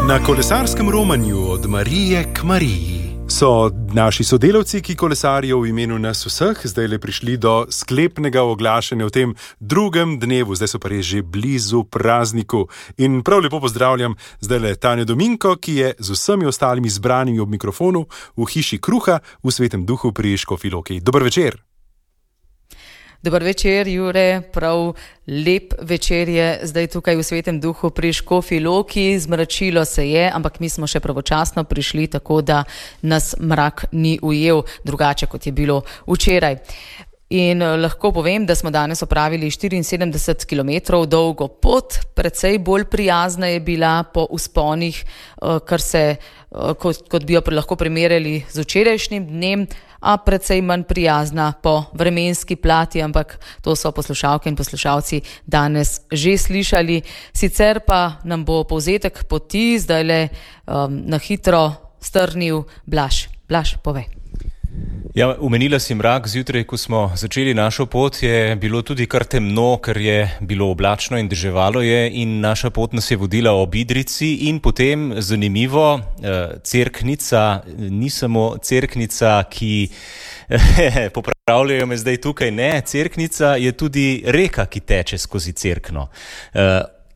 Na kolesarskem romanju od Marije k Mariji so naši sodelavci, ki kolesarijo v imenu nas vseh, zdaj le prišli do sklepnega oglašanja v tem drugem dnevu. Zdaj so pa res že blizu prazniku. In prav lepo pozdravljam zdaj le Tanjo Dominko, ki je z vsemi ostalimi zbranimi ob mikrofonu v hiši Kruha v Svetem Duhu pri Škofji Loki. Dober večer. Dober večer, Jure, prav lep večer je zdaj tukaj v Svetem Duhu pri Škofji Loki. Zmračilo se je, ampak mi smo še pravočasno prišli, tako da nas mrak ni ujel drugače, kot je bilo včeraj. In lahko povem, da smo danes opravili 74 km dolgo pot, precej bolj prijazna je bila po vzponih, kot bi jo lahko primerjali z včerajšnjim dnem, a precej manj prijazna po vremenski plati, ampak to so poslušalke in poslušalci danes že slišali. Sicer pa nam bo povzetek poti zdajle na hitro strnil Blaž. Blaž, povej. Ja, omenila si mrak. Zjutraj, ko smo začeli našo pot, je bilo tudi kar temno, ker je bilo oblačno in deževalo je, in naša pot nas je vodila ob Idrijci in potem, zanimivo, Cerknica ni samo Cerknica, ki popravljajo me zdaj tukaj, ne, Cerknica je tudi reka, ki teče skozi Cerkno.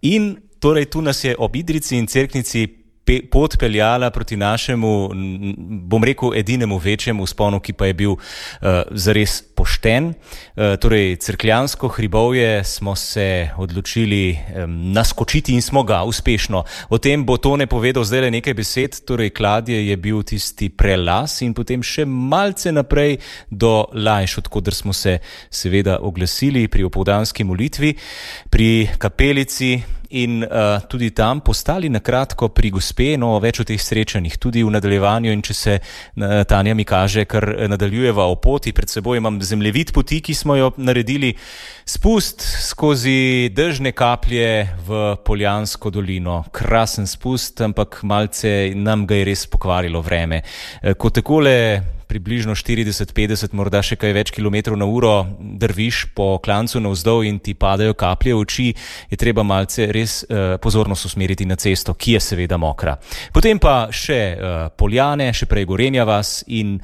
In torej tu nas je ob Idrijci in Cerknici pot peljala proti našemu, bom rekel, edinemu večjemu vzponu, ki pa je bil zares pošten. Torej, Cerkljansko hribovje smo se odločili naskočiti in smo ga uspešno. O tem bo Tone povedal zdaj le nekaj besed. Torej, Kladje je bil tisti prelaz in potem še malce naprej do Lajš, odkoder smo se seveda oglasili pri opoldanski molitvi, pri kapelici, in tudi tam postali na kratko pri gospe, no, več o teh srečanjih tudi v nadaljevanju. In če se Tanja mi kaže, kar nadaljujeva o poti, pred seboj imam zemljevid poti, ki smo jo naredili, spust skozi dežne kaplje v Poljansko dolino. Krasen spust, ampak malce nam ga je res pokvarilo vreme. Ko takole približno 40-50, morda še kaj več kilometrov na uro drviš po klancu navzdol in ti padajo kaplje v oči, je treba malce res pozornost usmeriti na cesto, ki je seveda mokra. Potem pa še Poljane, še prej Gorenja vas in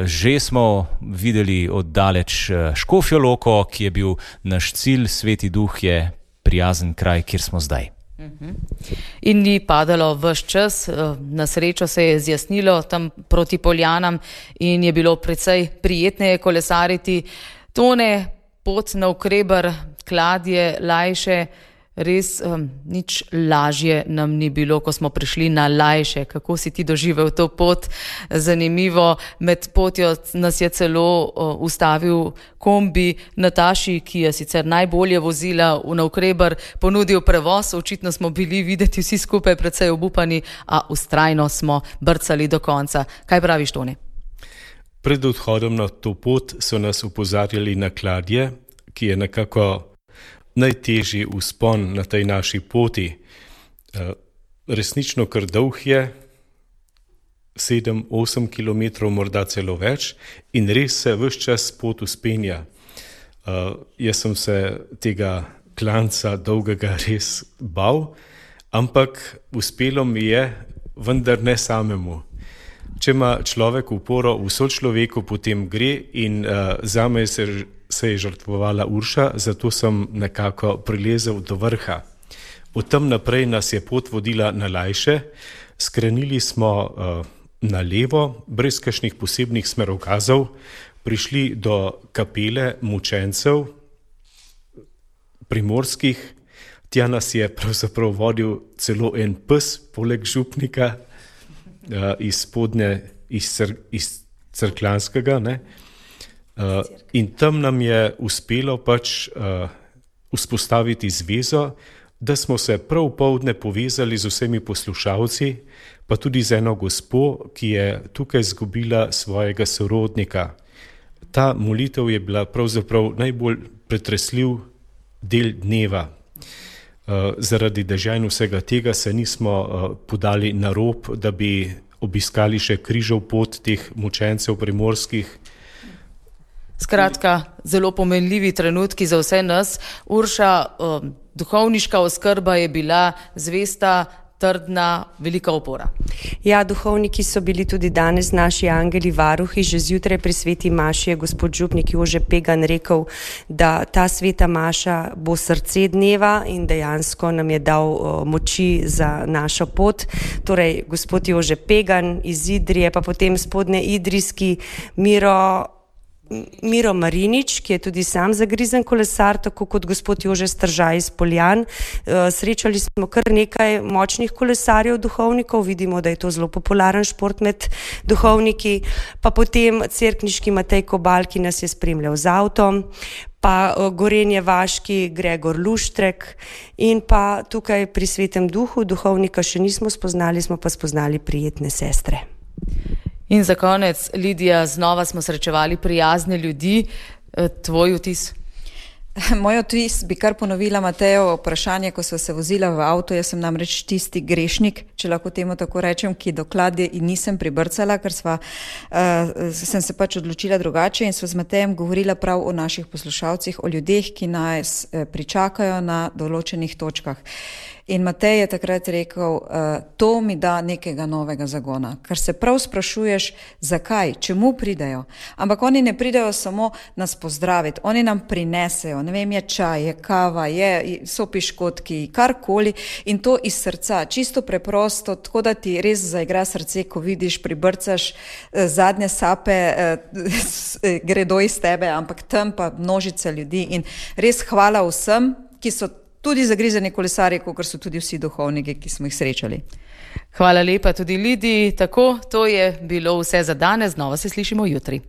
že smo videli oddaleč Škofjo Loko, ki je bil naš cilj. Sveti Duh je prijazen kraj, kjer smo zdaj. In ni padalo ves čas, na srečo se je zjasnilo tam proti Poljanam in je bilo precej prijetneje kolesariti. Tone, pot navkreber, Kladje, Lajše, res nič lažje nam ni bilo, ko smo prišli na Lajše. Kako si ti doživel to pot? Zanimivo, med potjo nas je celo ustavil kombi Nataši, ki je sicer najbolje vozila v navkreber, ponudil prevoz. Očitno smo bili videti vsi skupaj precej obupani, a vztrajno smo brcali do konca. Kaj praviš, Tone? Pred odhodom na to pot so nas opozarjali na Kladje, ki je nekako najtežji vzpon na tej naši poti. Resnično kar dolg je, 7-8 km, morda celo več, in res se ves čas pot vzpenja. Jaz sem se tega klanca dolgega res bal, ampak uspelo mi je, vendar ne samemu. Če ima človek uporo v sočloveku, potem gre, in zame se je žrtvovala Urša, zato sem nekako prilezel do vrha. Od tam naprej nas je pot vodila na Lajše, skrenili smo na levo, brez kakšnih posebnih smerokazov, prišli do kapele mučencev primorskih. Tja nas je pravzaprav vodil celo en pes, poleg župnika, iz Cerkljanskega, ne? In tam nam je uspelo vzpostaviti zvezo, da smo se prav poldne povezali z vsemi poslušalci, pa tudi z eno gospo, ki je tukaj izgubila svojega sorodnika. Ta molitev je bila pravzaprav najbolj pretresljiv del dneva. Zaradi dežja in vsega tega se nismo podali na rob, da bi obiskali še križev pot teh mučencev primorskih. Skratka, zelo pomenljivi trenutki za vse nas. Urša, duhovniška oskrba je bila zvesta, trdna, velika opora. Ja, duhovniki so bili tudi danes naši angeli varuhi. Že zjutraj pri sveti maši je gospod župnik Jože Pegan rekel, da ta sveta maša bo srce dneva in dejansko nam je dal moči za našo pot. Torej, gospod Jože Pegan iz Idrije, pa potem spodne idrijski Miro Marinič, ki je tudi sam zagrizen kolesar, tako kot gospod Jože Stržaj iz Poljan. Srečali smo kar nekaj močnih kolesarjev, duhovnikov, vidimo, da je to zelo popularen šport med duhovniki, pa potem cerkniški Matej Kobal, ki nas je spremljal z avtom, pa Gorenje Vaški Gregor Luštrek in pa tukaj pri Svetem Duhu duhovnika še nismo spoznali, smo pa spoznali prijetne sestre. In za konec, Lidija, znova smo srečevali prijazne ljudi. Tvoj vtis? Moj vtis bi kar ponovila Matejo vprašanje, ko sva se vozila v avto. Jaz sem namreč tisti grešnik, če lahko temu tako rečem, ki dokladje nisem pribrcala, ker sem se pač odločila drugače in sva z Matejem govorila prav o naših poslušalcih, o ljudeh, ki nas pričakajo na določenih točkah. In Matej je takrat rekel, to mi da nekega novega zagona, ker se prav sprašuješ, zakaj, čemu pridejo. Ampak oni ne pridejo samo nas pozdraviti, oni nam prinesejo, ne vem, je čaj, je kava, so piškotki, karkoli in to iz srca, čisto preprosto, tako da ti res zaigra srce, ko vidiš, pribrcaš zadnje sape, gredo iz tebe, ampak tam pa množice ljudi in res hvala vsem, ki so tudi zagrizeni kolesarji, kot so tudi vsi duhovniki, ki smo jih srečali. Hvala lepa tudi Lidiji. Tako, to je bilo vse za danes. Znova se slišimo jutri.